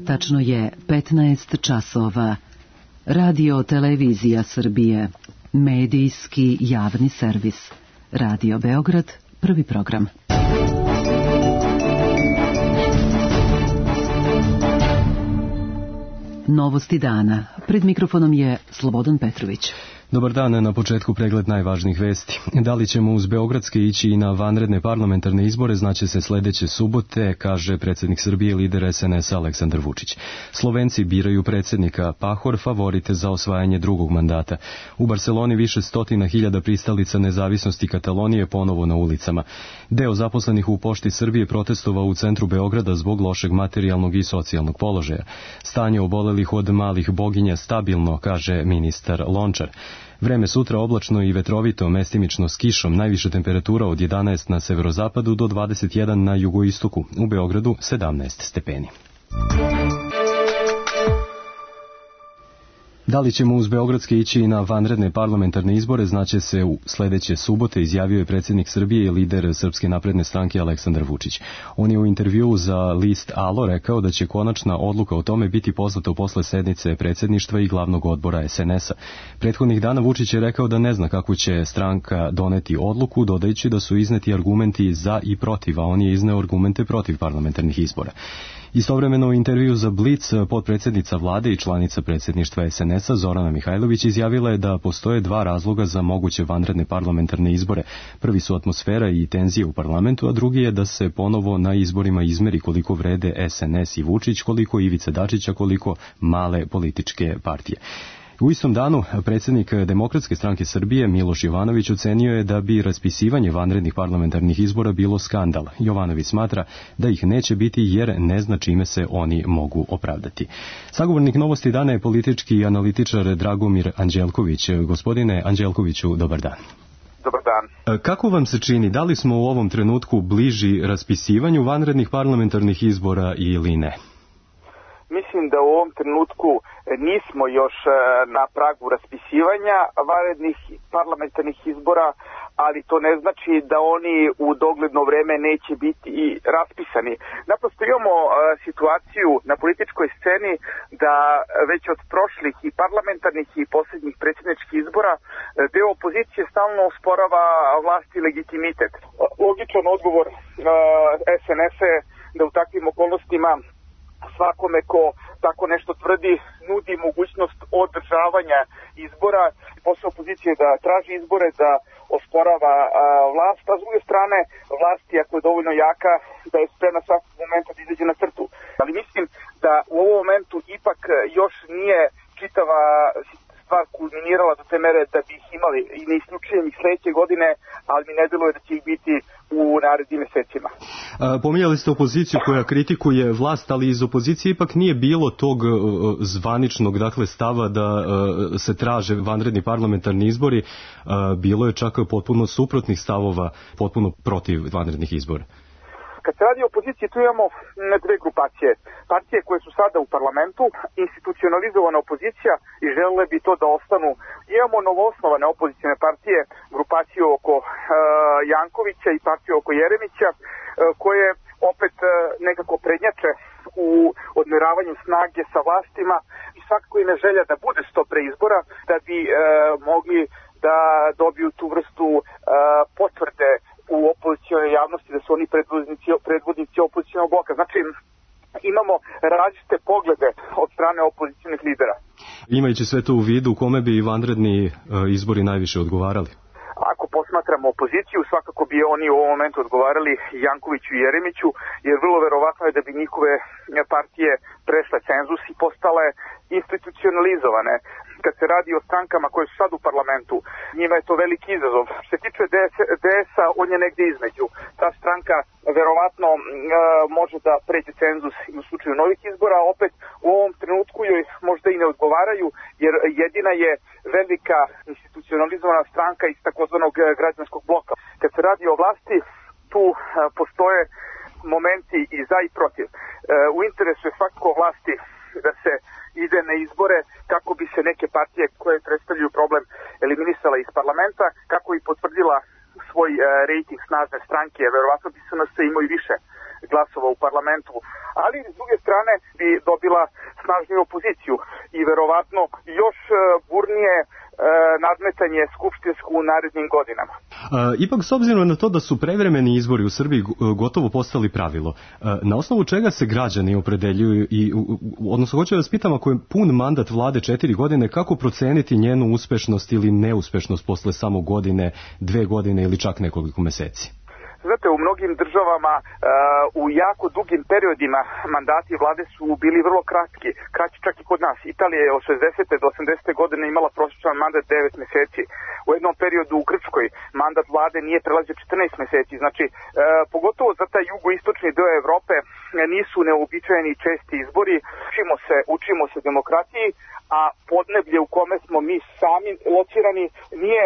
Tačno je 15 časova. Radio Televizija Srbije. Medijski javni servis. Radio Beograd, prvi program. Novosti dana. Pred mikrofonom je Slobodan Petrović. Dobar dan, na početku pregled najvažnijih vesti. Da li ćemo uz beogradske ići i na vanredne parlamentarne izbore znaće se sledeće subote, kaže predsjednik Srbije i lider SNS-a Aleksandar Vučić. Slovenci biraju predsjednika, Pahor favorite za osvajanje drugog mandata. U Barseloni više stotina hiljada pristalica nezavisnosti Katalonije ponovo na ulicama. Deo zaposlenih u Pošti Srbije protestovao u centru Beograda zbog lošeg materijalnog i socijalnog položaja. Stanje obolelih od malih boginja stabilno, kaže ministar Lončar. Vreme sutra oblačno i vetrovito, mestimično s kišom, najviša temperatura od 11 na severozapadu do 21 na jugoistoku, u Beogradu 17 stepeni. Da li ćemo uz beogradske ići i na vanredne parlamentarne izbore znaće se u sledeće subote, izjavio je predsjednik Srbije i lider Srpske napredne stranke Aleksandar Vučić. On je u intervjuu za list Alo rekao da će konačna odluka o tome biti poslata posle sednice predsjedništva i glavnog odbora SNS-a. Prethodnih dana Vučić je rekao da ne zna kako će stranka doneti odluku, dodajući da su izneti argumenti za i protiv, a on je izneo argumente protiv parlamentarnih izbora. Istovremeno u intervju za Blic potpredsjednica vlade i članica predsjedništva SNS-a Zorana Mihajlović izjavila je da postoje dva razloga za moguće vanredne parlamentarne izbore. Prvi su atmosfera i tenzije u parlamentu, a drugi je da se ponovo na izborima izmeri koliko vrede SNS i Vučić, koliko Ivica Dačića, koliko male političke partije. U istom danu predsjednik Demokratske stranke Srbije Miloš Jovanović ocenio je da bi raspisivanje vanrednih parlamentarnih izbora bilo skandal. Jovanović smatra da ih neće biti jer ne zna čime se oni mogu opravdati. Sagovornik Novosti dana je politički analitičar Dragomir Anđelković. Gospodine Anđelkoviću, dobar dan. Dobar dan. Kako vam se čini, da li smo u ovom trenutku bliži raspisivanju vanrednih parlamentarnih izbora ili ne? Mislim da u ovom trenutku nismo još na pragu raspisivanja vanrednih parlamentarnih izbora, ali to ne znači da oni u dogledno vreme neće biti i raspisani. Naprosto imamo situaciju na političkoj sceni da već od prošlih i parlamentarnih i posljednjih predsjedničkih izbora deo opozicije stalno osporava vlast i legitimitet. Logičan odgovor SNS-a je da u takvim okolnostima svakome ko tako nešto tvrdi nudi mogućnost održavanja izbora. Posao opozicije da traži izbore, da osporava vlast, a s druge strane vlast, ako je dovoljno jaka, da je spremna svakog momenta da izađe na crtu. Ali mislim da u ovom momentu ipak još nije čitava stvar kulminirala do te mere da bi ih imali i ne isključujem ih sledeće godine, ali mi ne deluje da će ih biti u narednim mesecima. Pominjali ste opoziciju koja kritikuje vlast, ali iz opozicije ipak nije bilo tog zvaničnog stava da se traže vanredni parlamentarni izbori. Bilo je čak potpuno suprotnih stavova, potpuno protiv vanrednih izbora. Kad se radi o opoziciji, tu imamo dve grupacije. Partije koje su sada u parlamentu, institucionalizovana opozicija i želele bi to da ostanu. Imamo novoosnovane opozicijne partije, grupaciju oko Jankovića i partiju oko Jeremića, koje opet nekako prednjače u odmeravanju snage sa vlastima i svakako im je želja da bude što pre izbora, da bi mogli da dobiju tu vrstu potvrde u opozicijonoj javnosti da su oni predvodnici opozicijonog bloka. Znači, imamo različite poglede od strane opozicijonih lidera. Imajući sve to u vidu, kome bi vanredni izbori najviše odgovarali? Ako posmatramo opoziciju, svakako bi oni u ovom momentu odgovarali Jankoviću i Jeremiću, jer vrlo verovatno je da bi njihove partije prešle cenzus i postale institucionalizovane. Kad se radi o strankama koje su sad u parlamentu, njima je to veliki izazov. Što se tiče DS-a, on je negde između. Ta stranka verovatno može da pređe cenzus u slučaju novih izbora, a opet u ovom trenutku joj možda i ne odgovaraju, jer jedina je velika institucionalizovana stranka iz takozvanog građanskog bloka. Kad se radi o vlasti, tu postoje momenti i za i protiv. U interesu je svakako vlasti da se ide na izbore kako bi se neke partije koje predstavljaju problem eliminisala iz parlamenta, kako i potvrdila svoj rejting snažne stranke, verovatno bi se nas imao i glasova u parlamentu, ali s druge strane bi dobila snažniju opoziciju i verovatno još burnije nadmetanje skupštinsko u narednim godinama. Ipak, s obzirom na to da su prevremeni izbori u Srbiji gotovo postali pravilo, na osnovu čega se građani opredeljuju odnosno hoću da vas pitam, ako je pun mandat vlade 4 godine, kako proceniti njenu uspešnost ili neuspešnost posle samo godine, 2 godine ili čak nekoliko meseci? Znate, u mnogim državama u jako dugim periodima mandati vlade su bili vrlo kratki, kraći čak i kod nas. Italija je od 60. do 80. godine imala prosječan mandat 9 meseci. U jednom periodu u Grčkoj mandat vlade nije prelazio 14 meseci. Znači, pogotovo za taj jugoistočni deo Evrope nisu neobičajeni česti izbori. Učimo se demokratiji, a podneblje u kome smo mi sami locirani nije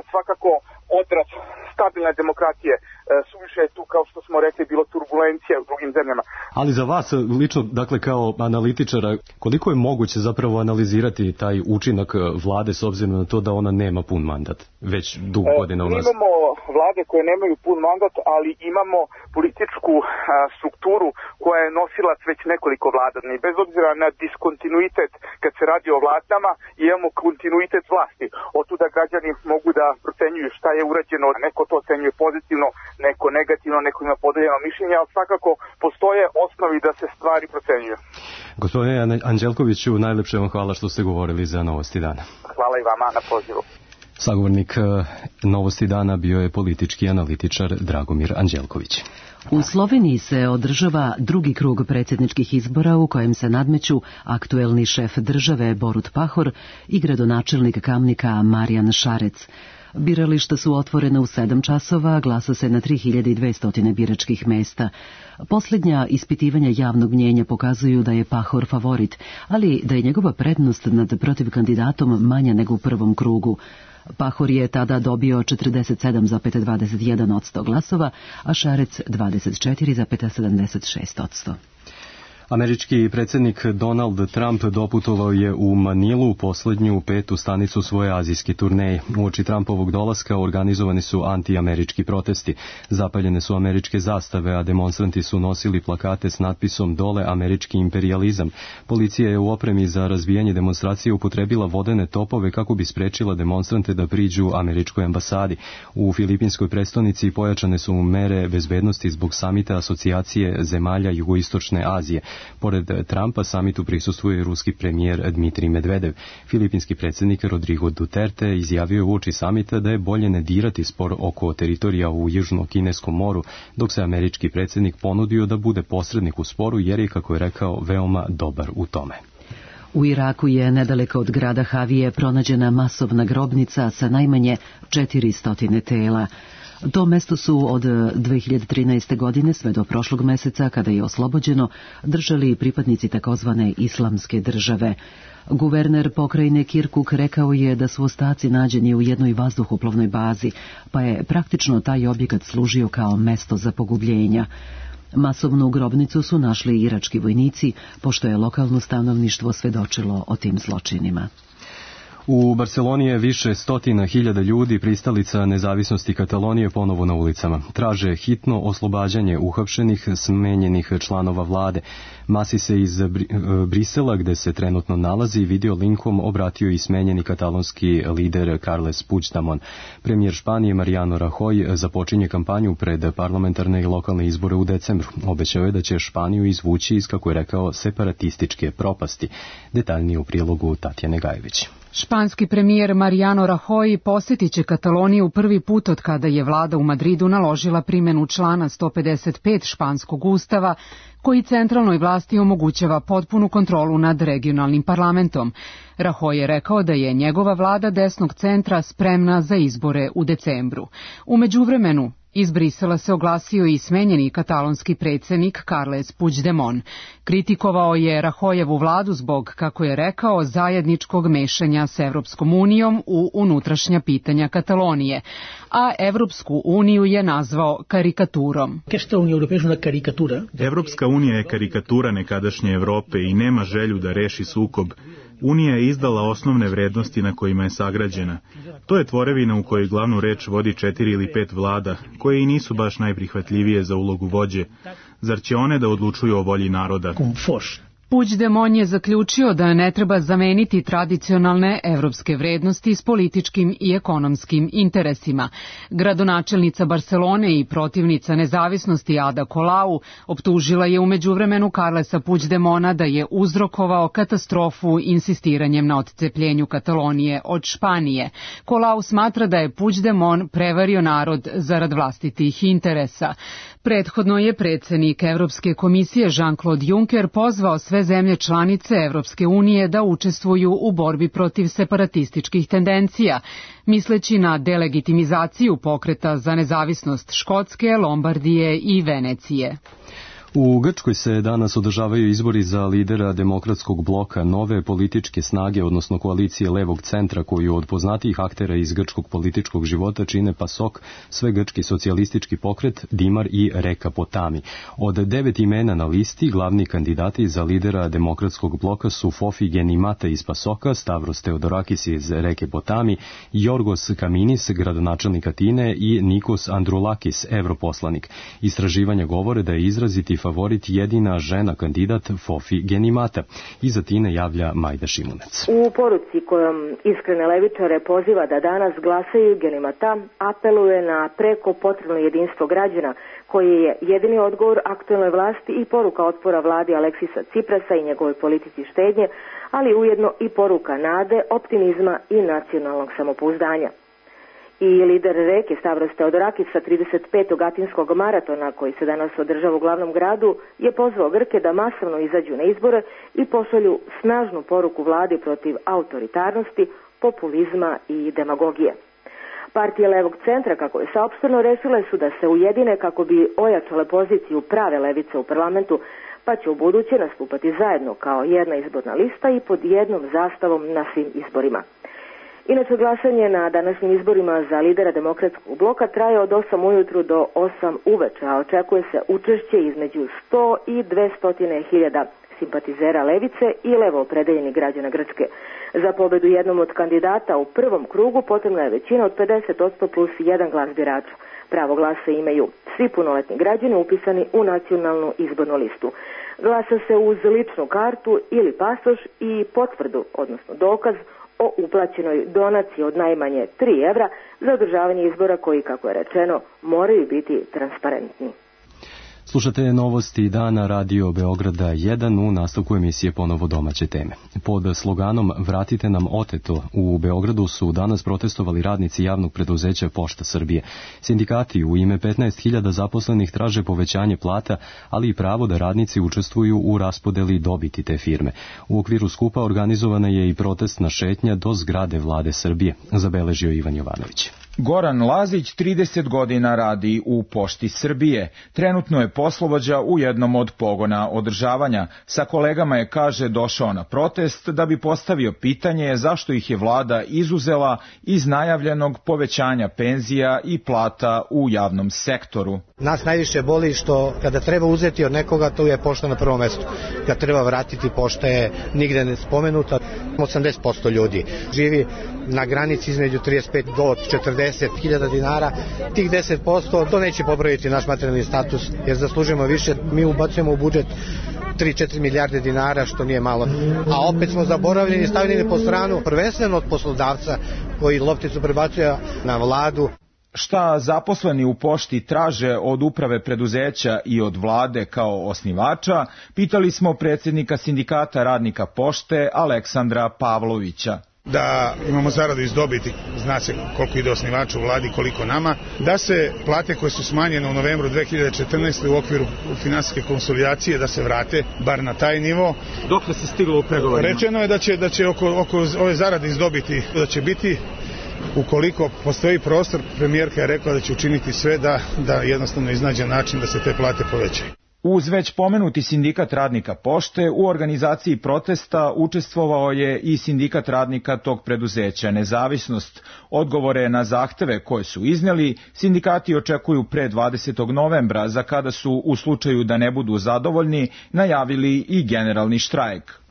svakako odraz stabilne demokratije. Suviše je tu, kao što smo rekli, bilo turbulencija u drugim zemljama. Ali za vas lično, dakle kao analitičara, koliko je moguće zapravo analizirati taj učinak vlade s obzirom na to da ona nema pun mandat već dugo godina u nas? Imamo vlade koje nemaju pun mandat, ali imamo političku strukturu koja je nosilac već nekoliko vlada. I bez obzira na diskontinuitet kad se radi o vladama, imamo kontinuitet vlasti. Otuda građani mogu da procenjuju šta je urađeno, neko to ocenjuje pozitivno, neko negativno, neko ima podeljeno mišljenje, ali svakako postoje osnovi da se stvari procenjuju. Gospodine Anđelkoviću, najlepše vam hvala što ste govorili za Novosti dana. Hvala i vama na pozivu. Sagovornik Novosti dana bio je politički analitičar Dragomir Anđelković. U Sloveniji se održava drugi krug predsjedničkih izbora u kojem se nadmeću aktuelni šef države Borut Pahor i gradonačelnik Kamnika Marijan Šarec. Birališta su otvorena u 7 časova, glasa se na 3200 biračkih mesta. Posljednja ispitivanja javnog mnjenja pokazuju da je Pahor favorit, ali da je njegova prednost nad protivkandidatom manja nego u prvom krugu. Pahor je tada dobio 47,21% glasova, a Šarec 24,76%. Američki predsjednik Donald Trump doputovao je u Manilu, posljednju 5. stanicu svoje azijske turneje. Uoči Trumpovog dolaska organizovani su antiamerički protesti. Zapaljene su američke zastave, a demonstranti su nosili plakate s natpisom "Dole američki imperijalizam". Policija je u opremi za razbijanje demonstracije upotrebila vodene topove kako bi sprečila demonstrante da priđu američkoj ambasadi. U filipinskoj prestonici pojačane su mere bezbednosti zbog samita asocijacije zemalja jugoistočne Azije. Pored Trumpa samitu prisustvuje i ruski premijer Dmitrij Medvedev. Filipinski predsjednik Rodrigo Duterte izjavio je uoči samita da je bolje ne dirati spor oko teritorija u Južno-Kineskom moru, dok se američki predsjednik ponudio da bude posrednik u sporu jer je, kako je rekao, veoma dobar u tome. U Iraku je nedaleko od grada Havije pronađena masovna grobnica sa najmanje 400 tela. To mesto su od 2013. godine sve do prošlog meseca, kada je oslobođeno, držali pripadnici takozvane islamske države. Guverner pokrajine Kirkuk rekao je da su ostaci nađeni u jednoj vazduhoplovnoj bazi, pa je praktično taj objekat služio kao mesto za pogubljenja. Masovnu grobnicu su našli irački vojnici, pošto je lokalno stanovništvo svedočilo o tim zločinima. U Barceloni je više stotina hiljada ljudi, pristalica nezavisnosti Katalonije, ponovo na ulicama. Traže hitno oslobađanje uhapšenih, smenjenih članova vlade. Masi se iz Brisela, gde se trenutno nalazi, video linkom obratio i smenjeni katalonski lider Carles Puigdemont. Premijer Španije Mariano Rajoy započinje kampanju pred parlamentarne i lokalne izbore u decembru. Obećao je da će Španiju izvući iz, kako je rekao, separatističke propasti. Detaljnije u prilogu Tatjane Gajević. Španski premijer Mariano Rajoy posjetit će Kataloniju prvi put od kada je vlada u Madridu naložila primjenu člana 155 španskog ustava, koji centralnoj vlasti omogućava potpunu kontrolu nad regionalnim parlamentom. Rajoy je rekao da je njegova vlada desnog centra spremna za izbore u decembru. U međuvremenu, iz Brisela se oglasio i smenjeni katalonski predsjednik Carles Puigdemont. Kritikovao je Rajoyevu vladu zbog, kako je rekao, zajedničkog mešanja s Evropskom unijom u unutrašnja pitanja Katalonije, a Evropsku uniju je nazvao karikaturom. Evropska unija je karikatura nekadašnje Evrope i nema želju da reši sukob. Unija je izdala osnovne vrednosti na kojima je sagrađena. To je tvorevina u kojoj glavnu reč vodi 4 ili 5 vlada, koje i nisu baš najprihvatljivije za ulogu vođe. Zar će one da odlučuju o volji naroda? Puigdemont je zaključio da ne treba zameniti tradicionalne evropske vrednosti s političkim i ekonomskim interesima. Gradonačelnica Barcelone i protivnica nezavisnosti Ada Colau optužila je u međuvremenu Carlesa Puigdemonta da je uzrokovao katastrofu insistiranjem na odcepljenju Katalonije od Španije. Colau smatra da je Puigdemont prevario narod zarad vlastitih interesa. Prethodno je predsjednik Evropske komisije Jean-Claude Juncker pozvao sve zemlje članice Evropske unije da učestvuju u borbi protiv separatističkih tendencija, misleći na delegitimizaciju pokreta za nezavisnost Škotske, Lombardije i Venecije. U Grčkoj se danas održavaju izbori za lidera demokratskog bloka Nove političke snage, odnosno koalicije levog centra, koju od poznatijih aktera iz grčkog političkog života čine PASOK, Svegrčki socijalistički pokret, Dimar i Reka Potami. Od 9 imena na listi, glavni kandidati za lidera demokratskog bloka su Fofi Genimata iz PASOK-a, Stavros Theodorakis iz Reke Potami, Jorgos Kaminis, gradonačelnik Atine, i Nikos Androulakis, europoslanik. Istraživanja govore da je izraziti favorit jedina žena kandidat Fofi Genimata. Iz Atine javlja Majda Šimunec. U poruci kojom iskrene levičare poziva da danas glasaju, Genimata apeluje na preko potrebno jedinstvo građana, koji je jedini odgovor aktuelnoj vlasti i poruka otpora vladi Aleksisa Ciprasa i njegove politici štednje, ali ujedno i poruka nade, optimizma i nacionalnog samopouzdanja. I lider Reke Stavros Theodorakis sa 35. atinskog maratona, koji se danas održava u glavnom gradu, je pozvao Grke da masovno izađu na izbore i pošalju snažnu poruku vladi protiv autoritarnosti, populizma i demagogije. Partije levog centra, kako je saopšteno, rešile su da se ujedine kako bi ojačale poziciju prave levice u parlamentu, pa će u buduće nastupati zajedno kao jedna izborna lista i pod jednom zastavom na svim izborima. Inače, glasanje na današnjim izborima za lidera demokratskog bloka traje od 8 ujutru do 8 uveče, a očekuje se učešće između 100 i 200 hiljada simpatizera levice i levo opredeljenih građana Grčke. Za pobedu jednom od kandidata u prvom krugu potrebna je većina od 50% plus jedan glas birača. Pravo glasa imaju svi punoletni građani upisani u nacionalnu izbornu listu. Glasa se uz ličnu kartu ili pasoš i potvrdu, odnosno dokaz o uplaćenoj donaciji od najmanje 3 evra za održavanje izbora koji, kako je rečeno, moraju biti transparentni. Slušate novosti dana Radio Beograda 1, u nastavku emisije ponovo domaće teme. Pod sloganom Vratite nam oteto u Beogradu su danas protestovali radnici javnog preduzeća Pošta Srbije. Sindikati u ime 15.000 zaposlenih traže povećanje plata, ali i pravo da radnici učestvuju u raspodeli dobiti te firme. U okviru skupa organizovana je i protestna šetnja do zgrade Vlade Srbije, zabeležio Ivan Jovanović. Goran Lazić 30 godina radi u Pošti Srbije. Trenutno je poslovođa u jednom od pogona održavanja. Sa kolegama je, kaže, došao na protest da bi postavio pitanje zašto ih je vlada izuzela iz najavljenog povećanja penzija i plata u javnom sektoru. Nas najviše boli što kada treba uzeti od nekoga, to je pošta na prvom mestu. Kad treba vratiti, pošta je nigde ne spomenuta. 80% ljudi živi na granici između 35 do 40.000 dinara. Tih 10% to neće popraviti naš materijalni status, jer zaslužujemo više. Mi ubacujemo u budžet 3-4 milijarde dinara, što nije malo. A opet smo zaboravljeni i stavljeni po stranu, prvenstveno od poslodavca koji lopticu prebacuje na vladu. Šta zaposleni u pošti traže od uprave preduzeća i od vlade kao osnivača, pitali smo predsjednika sindikata radnika pošte Aleksandra Pavlovića. Da imamo zaradu iz dobiti, zna se koliko ide osnivaču u vladi, koliko nama, da se plate koje su smanjene u novembru 2014. u okviru finansijske konsolidacije da se vrate, bar na taj nivo. Dokle se stiglo u pregovorima? Rečeno je da će oko ove zarade iz dobiti, da će biti, ukoliko postoji prostor, premijerka je rekla da će učiniti sve da jednostavno iznađe način da se te plate povećaju. Uz već pomenuti sindikat radnika pošte, u organizaciji protesta učestvovao je i sindikat radnika tog preduzeća Nezavisnost. Odgovore na zahteve koje su izneli, sindikati očekuju pre 20. novembra, za kada su, u slučaju da ne budu zadovoljni, najavili i generalni štrajk.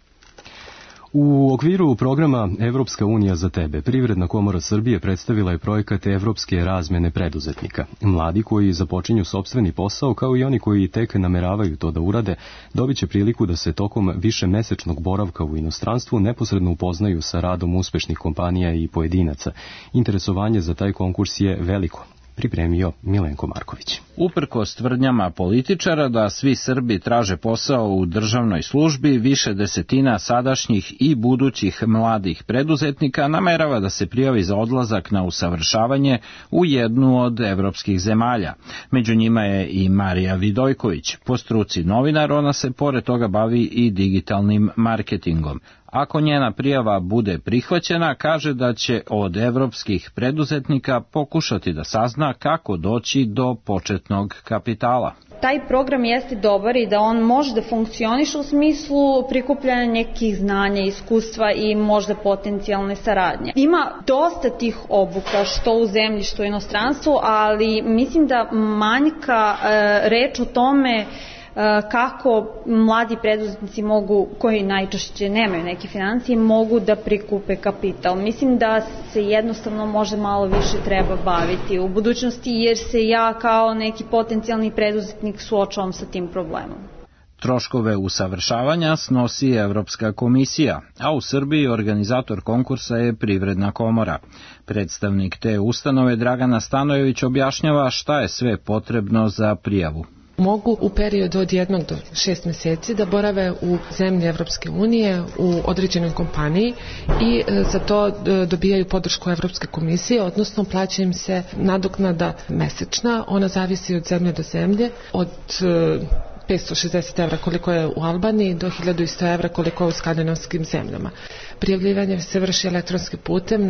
U okviru programa Evropska unija za tebe, Privredna komora Srbije predstavila je projekat Evropske razmene preduzetnika. Mladi koji započinju sopstveni posao, kao i oni koji tek nameravaju to da urade, dobit će priliku da se tokom višemesečnog boravka u inostranstvu neposredno upoznaju sa radom uspešnih kompanija i pojedinaca. Interesovanje za taj konkurs je veliko. Pripremio Milenko Marković. Uprkos tvrdnjama političara da svi Srbi traže posao u državnoj službi, više desetina sadašnjih i budućih mladih preduzetnika namerava da se prijavi za odlazak na usavršavanje u jednu od evropskih zemalja. Među njima je i Marija Vidojković. Po struci novinar, ona se pored toga bavi i digitalnim marketingom. Ako njena prijava bude prihvaćena, kaže da će od evropskih preduzetnika pokušati da sazna kako doći do početnog kapitala. Taj program jeste dobar i da on može da funkcioniše u smislu prikupljanja nekih znanja, iskustva i možda potencijalne saradnje. Ima dosta tih obuka, što u zemlji, što u inostranstvu, ali mislim da manjka reč o tome kako mladi preduzetnici mogu, koji najčešće nemaju neke financije, mogu da prikupe kapital. Mislim da se jednostavno možda malo više treba baviti u budućnosti, jer se ja kao neki potencijalni preduzetnik suočavam sa tim problemom. Troškove usavršavanja snosi Evropska komisija, a u Srbiji organizator konkursa je Privredna komora. Predstavnik te ustanove Dragana Stanojević objašnjava šta je sve potrebno za prijavu. Mogu u periodu od 1 do 6 meseci da borave u zemlji Evropske unije u određenoj kompaniji i za to dobijaju podršku Evropske komisije, odnosno plaća im se nadoknada mesečna, ona zavisi od zemlje do zemlje, od 560 evra koliko je u Albaniji do 1100 evra koliko je u skandinavskim zemljama. Prijavljivanje se vrši elektronskim putem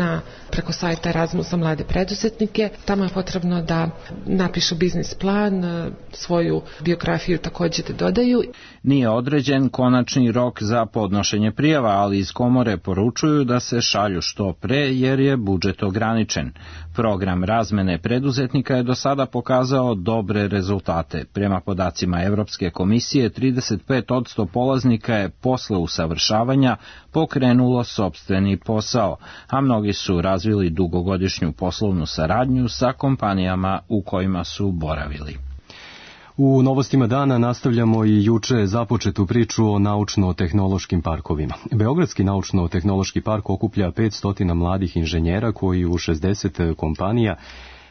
preko sajta Erasmus za mlade preduzetnike. Tamo je potrebno da napišu biznis plan, svoju biografiju također da dodaju. Nije određen konačni rok za podnošenje prijava, ali iz komore poručuju da se šalju što pre jer je budžet ograničen. Program razmene preduzetnika je do sada pokazao dobre rezultate. Prema podacima Evropske komisije, 35% polaznika je posle usavršavanja pokrenulo sopstveni posao, a mnogi su razvili dugogodišnju poslovnu saradnju sa kompanijama u kojima su boravili. U novostima dana nastavljamo i juče započetu priču o naučno-tehnološkim parkovima. Beogradski naučno-tehnološki park okuplja 500 mladih inženjera koji u 60 kompanija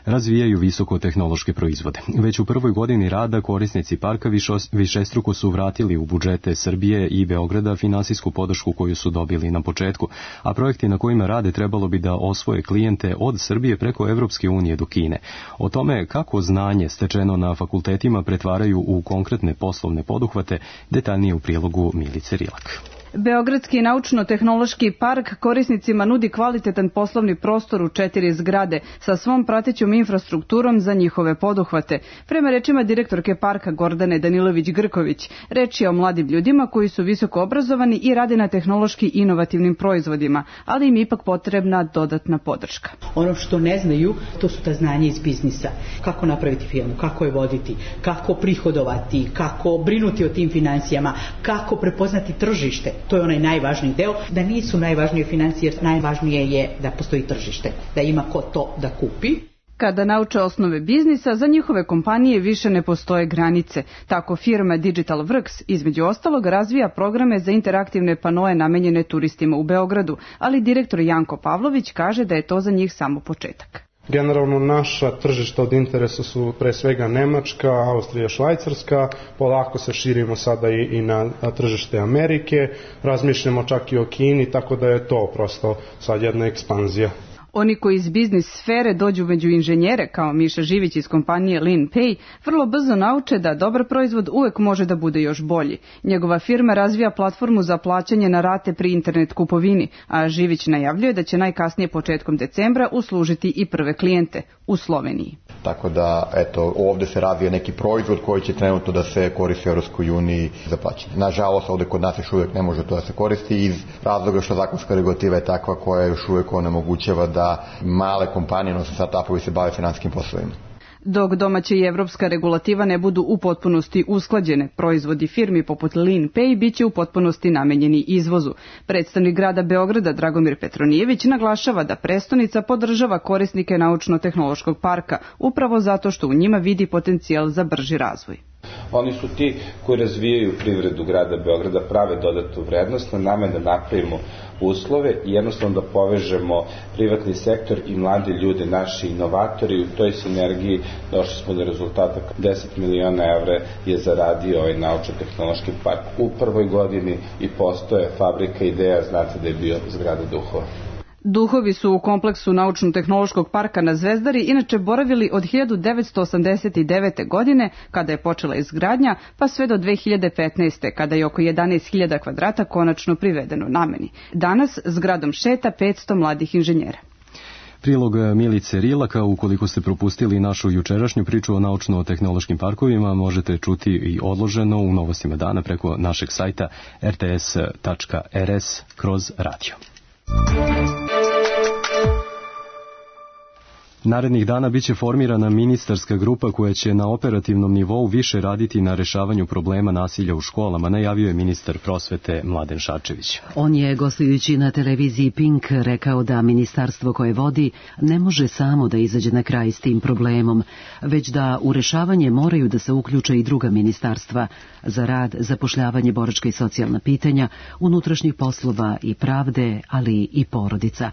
razvijaju visokotehnološke proizvode. Već u prvoj godini rada korisnici parka višestruko su vratili u budžete Srbije i Beograda finansijsku podršku koju su dobili na početku, a projekti na kojima rade trebalo bi da osvoje klijente od Srbije preko Evropske unije do Kine. O tome kako znanje stečeno na fakultetima pretvaraju u konkretne poslovne poduhvate, detaljnije u prilogu Milice Rilak. Beogradski naučno-tehnološki park korisnicima nudi kvalitetan poslovni prostor u 4 zgrade sa svom pratećom infrastrukturom za njihove poduhvate. Prema rečima direktorke parka Gordane Danilović-Grković, reč je o mladim ljudima koji su visoko obrazovani i rade na tehnološki inovativnim proizvodima, ali im ipak potrebna dodatna podrška. Ono što ne znaju, to su ta znanja iz biznisa. Kako napraviti firmu, kako je voditi, kako prihodovati, kako brinuti o tim financijama, kako prepoznati tržište. To je onaj najvažniji deo, da nisu najvažnije financije, jer najvažnije je da postoji tržište, da ima ko to da kupi. Kada nauče osnove biznisa, za njihove kompanije više ne postoje granice. Tako firma Digital Works, između ostalog, razvija programe za interaktivne panoe namenjene turistima u Beogradu, ali direktor Janko Pavlović kaže da je to za njih samo početak. Generalno naša tržišta od interesa su pre svega Nemačka, Austrija, Švajcarska, polako se širimo sada i na tržište Amerike, razmišljamo čak i o Kini, tako da je to prosto sad jedna ekspanzija. Oni koji iz biznis sfere dođu među inženjere, kao Miša Živić iz kompanije LeanPay, vrlo brzo nauče da dobar proizvod uvek može da bude još bolji. Njegova firma razvija platformu za plaćanje na rate pri internet kupovini, a Živić najavljuje da će najkasnije početkom decembra uslužiti i prve klijente u Sloveniji. Tako da, eto, ovde se razvija neki proizvod koji će trenutno da se koristi u Evropskoj uniji za plaćanje. Nažalost, ovde kod nas još uvijek ne može to da se koristi iz razloga što zakonska regulativa je takva koja još uvijek onemogućava da male kompanije, odnosno startupovi se bave finansijskim poslovima. Dok domaća i evropska regulativa ne budu u potpunosti usklađene, proizvodi firmi poput Lean Pay biće u potpunosti namenjeni izvozu. Predstavnik grada Beograda Dragomir Petronijević naglašava da prestonica podržava korisnike naučno-tehnološkog parka, upravo zato što u njima vidi potencijal za brži razvoj. Oni su ti koji razvijaju privredu grada Beograda, prave dodatnu vrednost, na nama je da napravimo uslove i jednostavno da povežemo privatni sektor i mladi ljudi, naši inovatori. U toj sinergiji došli smo do rezultata. 10 miliona evra je zaradio ovaj naučno-tehnološki park u prvoj godini i postoje fabrika ideja, znate da je bio zgrada Duhova. Duhovi su u kompleksu naučno-tehnološkog parka na Zvezdari inače boravili od 1989. godine, kada je počela izgradnja, pa sve do 2015. kada je oko 11.000 kvadrata konačno privedeno nameni. Danas zgradom šeta 500 mladih inženjera. Prilog Milice Rilaka, ukoliko ste propustili našu jučerašnju priču o naučno-tehnološkim parkovima, možete čuti i odloženo u novostima dana preko našeg sajta rts.rs/radio. Narednih dana biće formirana ministarska grupa koja će na operativnom nivou više raditi na rešavanju problema nasilja u školama, najavio je ministar prosvete Mladen Šarčević. On je, gostujući na televiziji Pink, rekao da ministarstvo koje vodi ne može samo da izađe na kraj s tim problemom, već da u rešavanje moraju da se uključe i druga ministarstva za rad, zapošljavanje, boračka i socijalna pitanja, unutrašnjih poslova i pravde, ali i porodica.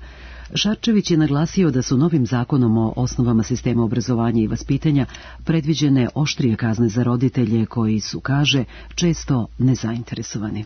Šarčević je naglasio da su novim zakonom o osnovama sistema obrazovanja i vaspitanja predviđene oštrije kazne za roditelje koji su, kaže, često nezainteresovani.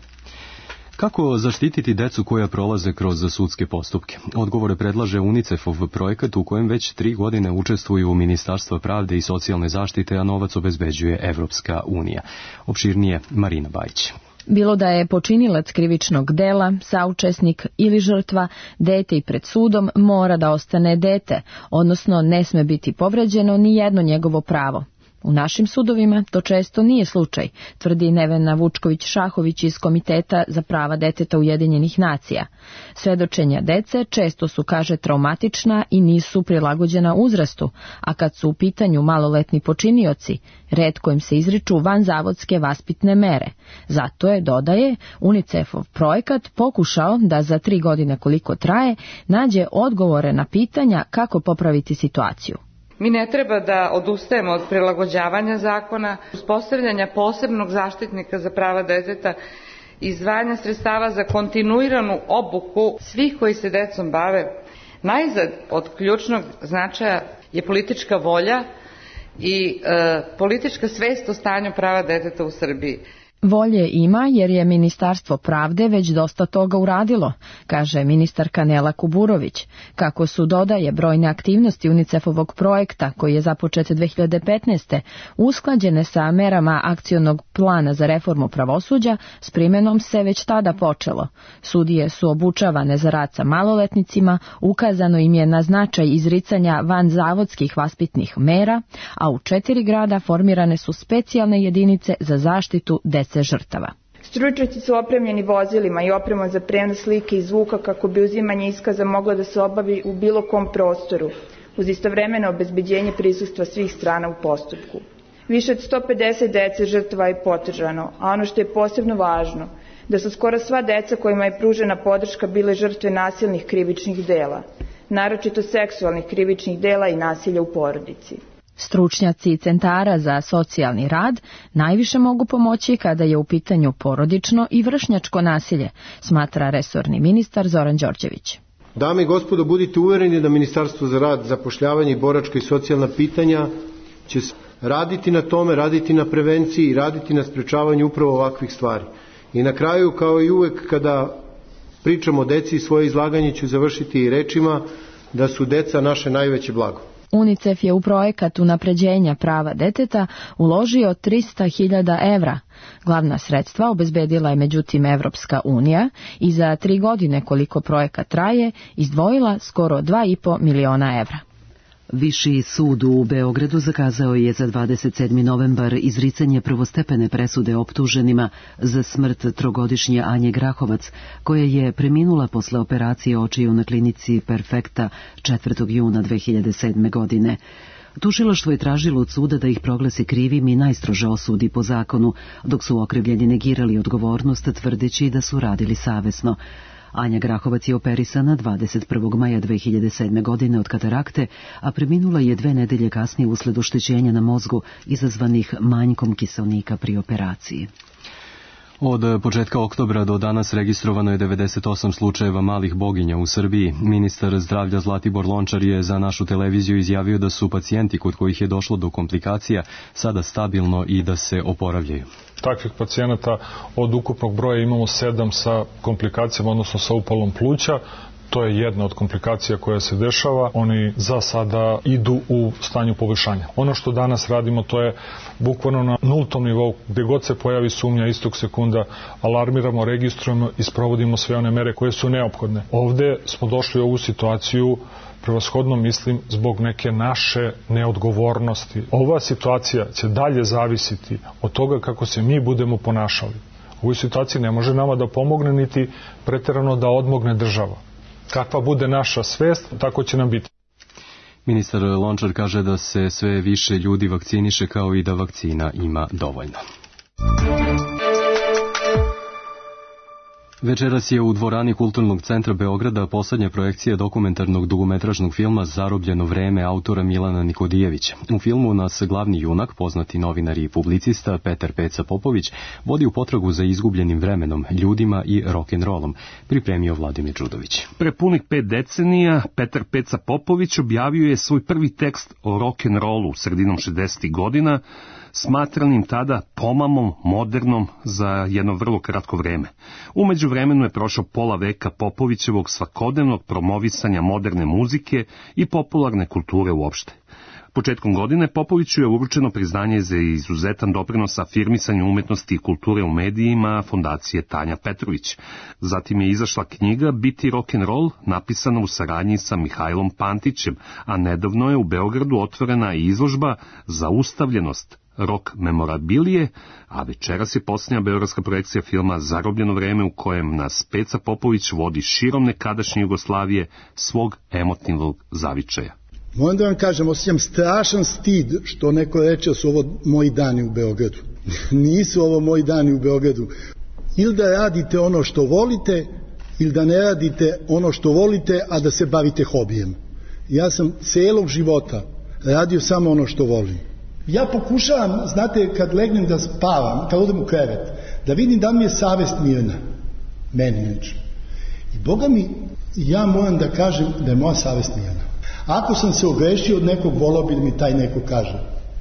Kako zaštititi decu koja prolaze kroz sudske postupke? Odgovore predlaže UNICEF-ov projekat u kojem već 3 godine učestvuju Ministarstva pravde i socijalne zaštite, a novac obezbeđuje Evropska unija. Opširnije Marina Bajić. Bilo da je počinilac krivičnog dela, saučesnik ili žrtva, dete i pred sudom mora da ostane dete, odnosno ne sme biti povređeno ni jedno njegovo pravo. U našim sudovima to često nije slučaj, tvrdi Nevena Vučković-Šahović iz Komiteta za prava deteta Ujedinjenih nacija. Svedočenja dece često su, kaže, traumatična i nisu prilagođena uzrastu, a kad su u pitanju maloletni počinioci, retko im se izriču vanzavodske vaspitne mere. Zato je, dodaje, UNICEF-ov projekat pokušao da za 3 godine koliko traje nađe odgovore na pitanja kako popraviti situaciju. Mi ne treba da odustajemo od prilagođavanja zakona, uspostavljanja posebnog zaštitnika za prava deteta, izdvajanja sredstava za kontinuiranu obuku svih koji se decom bave. Najzad od ključnog značaja je politička volja i politička svest o stanju prava deteta u Srbiji. Volje ima jer je Ministarstvo pravde već dosta toga uradilo, kaže ministarka Nela Kuburović. Kako su, dodaje, brojne aktivnosti UNICEF-ovog projekta, koji je započet 2015. usklađene sa merama akcionog plana za reformu pravosuđa, s primenom se već tada počelo. Sudije su obučavane za rad sa maloletnicima, ukazano im je na značaj izricanja vanzavodskih vaspitnih mera, a u 4 grada formirane su specijalne jedinice za zaštitu dece žrtava. Stručnjaci su opremljeni vozilima i opremom za prenos slike i zvuka kako bi uzimanje iskaza moglo da se obavi u bilo kom prostoru, uz istovremeno obezbeđenje prisustva svih strana u postupku. Više od 150 dece žrtava je potržano, a ono što je posebno važno, da su skoro sva deca kojima je pružena podrška bile žrtve nasilnih krivičnih dela, naročito seksualnih krivičnih dela i nasilja u porodici. Stručnjaci centara za socijalni rad najviše mogu pomoći kada je u pitanju porodično i vršnjačko nasilje, smatra resorni ministar Zoran Đorđević. Dame i gospodo, budite uvereni da Ministarstvo za rad, zapošljavanje i boračka i socijalna pitanja će raditi na tome, raditi na prevenciji i raditi na sprečavanju upravo ovakvih stvari. I na kraju, kao i uvek kada pričamo o deci, svoje izlaganje ću završiti rečima da su deca naše najveće blago. UNICEF je u projekat unapređenja prava deteta uložio 300.000 evra. Glavna sredstva obezbedila je međutim Evropska unija i za 3 godine koliko projekat traje izdvojila skoro 2,5 miliona evra. Viši sud u Beogradu zakazao je za 27. novembar izricanje prvostepene presude optuženima za smrt 3-godišnje Anje Grahovac, koja je preminula posle operacije očiju na klinici Perfekta 4. juna 2007. godine. Tužilaštvo je tražilo od suda da ih proglasi krivim i najstrože osudi po zakonu, dok su okrivljeni negirali odgovornost tvrdeći da su radili savesno. Anja Grahovac je operisana 21. maja 2007. godine od katarakte, a preminula je 2 nedelje kasnije usled oštećenja na mozgu izazvanih manjkom kiseonika pri operaciji. Od početka oktobra do danas registrovano je 98 slučajeva malih boginja u Srbiji. Ministar zdravlja Zlatibor Lončar je za našu televiziju izjavio da su pacijenti kod kojih je došlo do komplikacija sada stabilno i da se oporavljaju. Takvih pacijenata od ukupnog broja imamo 7 sa komplikacijama, odnosno sa upalom pluća. To je jedna od komplikacija koja se dešava. Oni za sada idu u stanju poboljšanja. Ono što danas radimo, to je bukvalno na nultom nivou. Gde god se pojavi sumnja, istog sekunda alarmiramo, registrujemo i sprovodimo sve one mere koje su neophodne. Ovde smo došli u ovu situaciju prevashodno, mislim, zbog neke naše neodgovornosti. Ova situacija će dalje zavisiti od toga kako se mi budemo ponašali. U ovoj situaciji ne može nama da pomogne niti preterano da odmogne država. Kakva bude naša svest, tako će nam biti. Ministar Lončar kaže da se sve više ljudi vakciniše, kao i da vakcina ima dovoljno. Večeras je u dvorani Kulturnog centra Beograda poslednja projekcija dokumentarnog dugometražnog filma Zarobljeno vreme autora Milana Nikodijevića. U filmu nas glavni junak, poznati novinar i publicista Petar Peca Popović, vodi u potragu za izgubljenim vremenom, ljudima i rock'n'rollom, pripremio Vladimir Đudović. Pre punih 5 decenija Petar Peca Popović objavio je svoj prvi tekst o rock'n'rollu sredinom 60. godina, smatranim tada pomamom modernom za jedno vrlo kratko vreme. U međuvremenu je prošao pola veka Popovićevog svakodnevnog promovisanja moderne muzike i popularne kulture uopšte. Početkom godine Popoviću je uručeno priznanje za izuzetan doprinos afirmisanju umetnosti i kulture u medijima fondacije Tanja Petrović. Zatim je izašla knjiga Biti rock'n'roll, napisana u saradnji sa Mihajlom Pantićem, a nedavno je u Beogradu otvorena i izložba Zaustavljenost, rock memorabilije, a večeras je posljednja beogradska projekcija filma Zarobljeno vreme u kojem nas Peca Popović vodi širom nekadašnje Jugoslavije svog emotivnog zavičaja. Moram da vam kažem, osjećam strašan stid što neko reče da su ovo moji dani u Beogradu. Nisu ovo moji dani u Beogradu. Ili da radite ono što volite, ili da ne radite ono što volite, a da se bavite hobijem. Ja sam celog života radio samo ono što volim. Ja pokušavam, znate, kad legnem da spavam, kad odem u krevet, da vidim da mi je savest mirna. Meni lično. I Boga mi, ja moram da kažem da je moja savest mirna. Ako sam se ogrešio od nekog, volao bi da mi taj neko kaže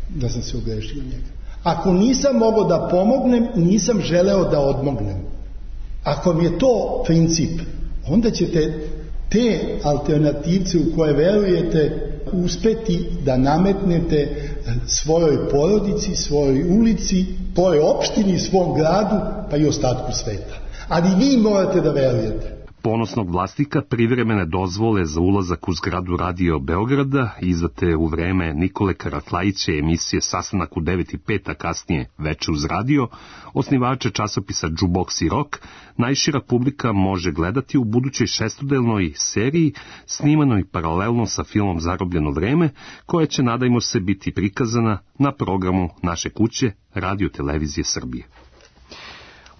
da sam se ogrešio od njega. Ako nisam mogao da pomognem, nisam želeo da odmognem. Ako mi je to princip, onda ćete te alternativce u koje verujete uspeti da nametnete svojoj porodici, svojoj ulici, tvojoj opštini, svom gradu, pa i ostatku sveta. Ali vi morate da verujete. Ponosnog vlasnika privremene dozvole za ulazak u zgradu Radio Beograda, izdate u vreme Nikole Karatlajića emisije Sastanak u 9:05, a kasnije Veče uz radio, osnivače časopisa Jukebox i Rock, najšira publika može gledati u budućoj šestodelnoj seriji, snimanoj paralelno sa filmom Zarobljeno vreme, koja će, nadajmo se, biti prikazana na programu naše kuće Radio Televizije Srbije.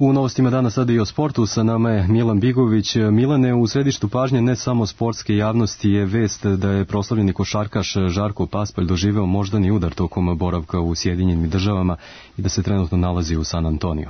U novostima dana sada i o sportu, sa nama je Milan Bigović. Milane, u središtu pažnje ne samo sportske javnosti je vest da je proslavljeni košarkaš Žarko Paspalj doživeo moždani udar tokom boravka u Sjedinjenim Državama i da se trenutno nalazi u San Antoniju.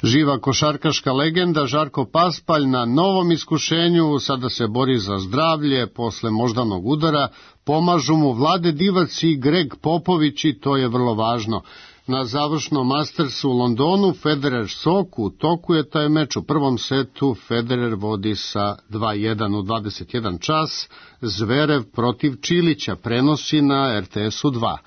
Živa košarkaška legenda Žarko Paspalj na novom iskušenju, sada se bori za zdravlje posle moždanog udara, pomažu mu Vlade Divac i Greg Popović i to je vrlo važno. Na završnom Mastersu u Londonu Federer Sok, u toku je taj meč. U prvom setu Federer vodi sa 2:1 u 21 čas, Zverev protiv Čilića prenosi na RTS-u 2.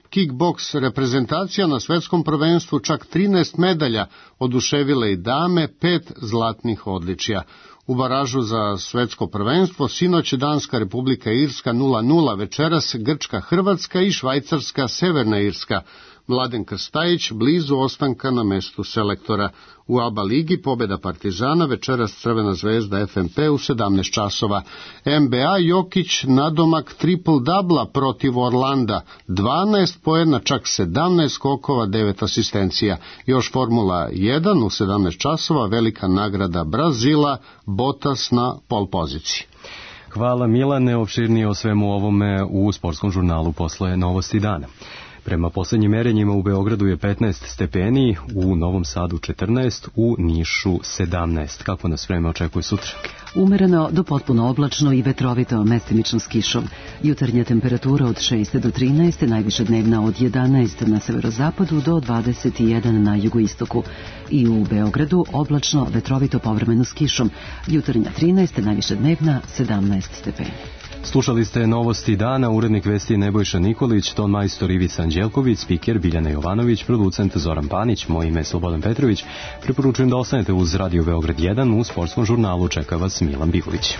Kickboks reprezentacija na svetskom prvenstvu čak 13 medalja, oduševile i dame, 5 zlatnih odličja. U baražu za svetsko prvenstvo sinoć Danska Republika Irska 0:0, večeras Grčka Hrvatska i Švajcarska Severna Irska. Mladen Krstajić blizu ostanka na mestu selektora. U ABA ligi pobjeda Partizana, večeras Crvena zvezda FNP u 17 časova. NBA Jokić nadomak triple-dubla protiv Orlanda, 12 poena, čak 17 skokova, 9 asistencija. Još Formula 1 u 17 časova, velika nagrada Brazila, Bottas na pol poziciji. Hvala Milane, opširnije o svemu ovome u sportskom žurnalu posle Novosti dana. Prema poslednjim merenjima u Beogradu je 15 stepeni, u Novom Sadu 14, u Nišu 17. Kako nas vreme očekuje sutra? Umereno do potpuno oblačno i vetrovito, mestimično s kišom. Jutarnja temperatura od 6 do 13, najviša dnevna od 11 na severozapadu do 21 na jugoistoku. I u Beogradu oblačno, vetrovito, povremeno s kišom. Jutarnja 13, najviša dnevna 17 stepeni. Slušali ste Novosti dana, urednik vesti Nebojša Nikolić, ton majstor Ivica Anđelković, spiker Biljana Jovanović, producent Zoran Panić, moje ime je Slobodan Petrović. Preporučujem da ostanete uz Radio Beograd 1, u sportskom žurnalu čeka vas Milan Bigović.